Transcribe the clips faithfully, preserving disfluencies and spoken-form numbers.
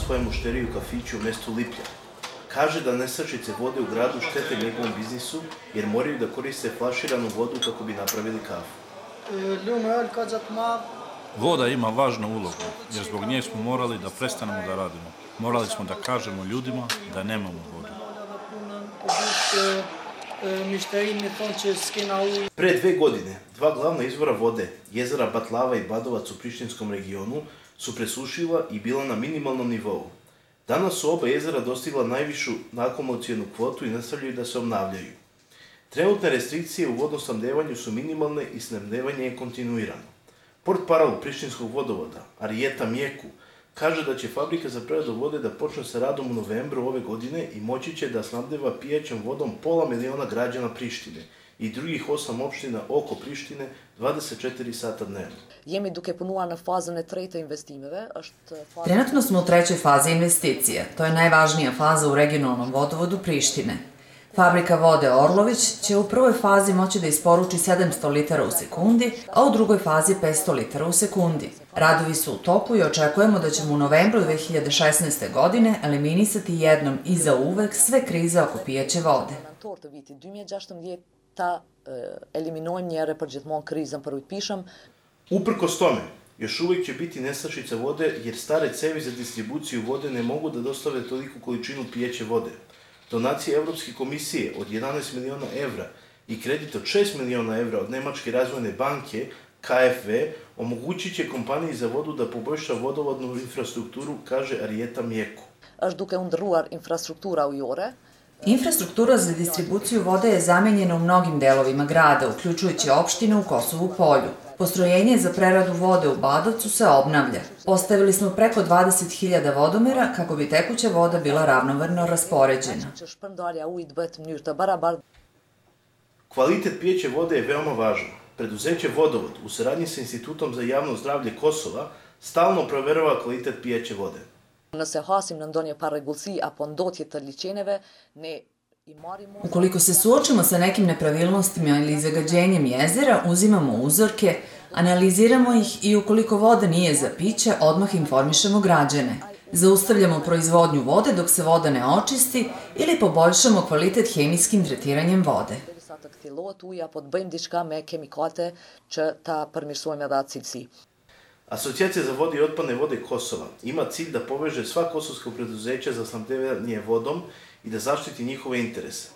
svoje mušterije u kafiću u mestu Liplja. Kaže da nestašice vode u gradu štete njegovom biznisu jer moraju da koriste flaširanu vodu kako bi napravili kafu. Voda ima važnu ulogu jer zbog nje smo morali da prestanemo da radimo. Morali smo da kažemo ljudima da nemamo vodu. Pre dve godine, dva glavna izvora vode, jezera Batlava i Badovac u Prištinskom regionu, su presušila i bila na minimalnom nivou. Danas su oba jezera dostigla najvišu akumulacionu kvotu i nastavljaju da se obnavljaju. Trenutne restrikcije u vodosnabdevanju su minimalne i snabdevanje je kontinuirano. Portparol Prištinskog vodovoda, Arijeta Mjeku, kaže da će fabrika za preradu vode da počne sa radom u novembru ove godine i moći će da snabdeva pijaćom vodom pola miliona građana Prištine i drugih osam opština oko Prištine dvadeset četiri sata dnevno. Trenutno smo u trećoj fazi investicije. To je najvažnija faza u regionalnom vodovodu Prištine. Fabrika vode Orlović će u prvoj fazi moći da isporuči sedamsto litara u sekundi, a u drugoj fazi petsto litara u sekundi. Radovi su u toku i očekujemo da ćemo u novembru dve hiljade šesnaeste. godine eliminisati jednom i zauvek sve krize oko pijaće vode. Uprkos tome, još uvijek će biti nestašica vode jer stare cevi za distribuciju vode ne mogu da dostave toliku količinu pijaće vode. Donacije Evropske komisije od jedanaest miliona evra i kredit od šest miliona evra od Nemačke razvojne banke K F W omogućit će kompaniji za vodu da poboljša vodovodnu infrastrukturu, kaže Arijeta Mjeku. Infrastruktura za distribuciju vode je zamenjena u mnogim delovima grada, uključujući opštine u Kosovu Polju. Postrojenje za preradu vode u Badovcu se obnavlja. Postavili smo preko dvadeset hiljada vodomera kako bi tekuća voda bila ravnomerno raspoređena. Kvalitet pijeće vode je veoma važan. Preduzeće Vodovod u saradnji sa Institutom za javno zdravlje Kosova stalno proverava kvalitet pijeće vode. Ukoliko se suočimo sa nekim nepravilnostima ili zagađenjem jezera, uzimamo uzorke, analiziramo ih i ukoliko voda nije za piće, odmah informišemo građane. Zaustavljamo proizvodnju vode dok se voda ne očisti ili poboljšamo kvalitet hemijskim tretiranjem vode. Asocijacija za vode i otpadne vode Kosova ima cilj da poveže sva kosovska preduzeća za snabdevanje vodom i da zaštiti njihove interese.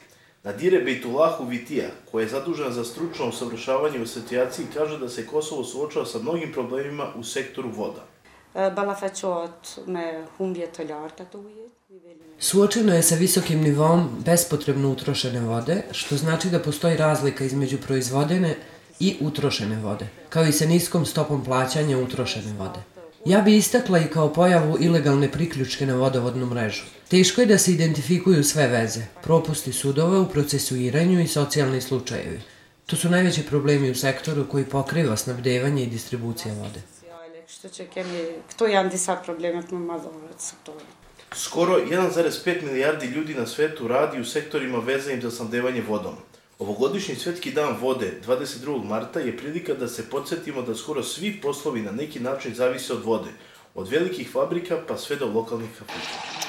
Nadire Bejtulahu Vitija, koja je zadužena za stručno usavršavanje u asocijaciji, kaže da se Kosovo suočava sa mnogim problemima u sektoru voda. Suočeno je sa visokim nivom bespotrebno utrošene vode, što znači da postoji razlika između proizvodene i utrošene vode, kao i sa niskom stopom plaćanja utrošene vode. Ja bi istakla i kao pojavu ilegalne priključke na vodovodnu mrežu. Teško je da se identifikuju sve veze, propusti sudova u procesuiranju i socijalni slučajevi. To su najveći problemi u sektoru koji pokriva snabdevanje i distribucija vode. Skoro jedan zarez pet milijardi ljudi na svetu radi u sektorima vezanim za snabdevanje vodom. Ovogodišnji Svetski dan vode, dvadeset drugog marta, je prilika da se podsjetimo da skoro svi poslovi na neki način zavise od vode, od velikih fabrika pa sve do lokalnih kafića.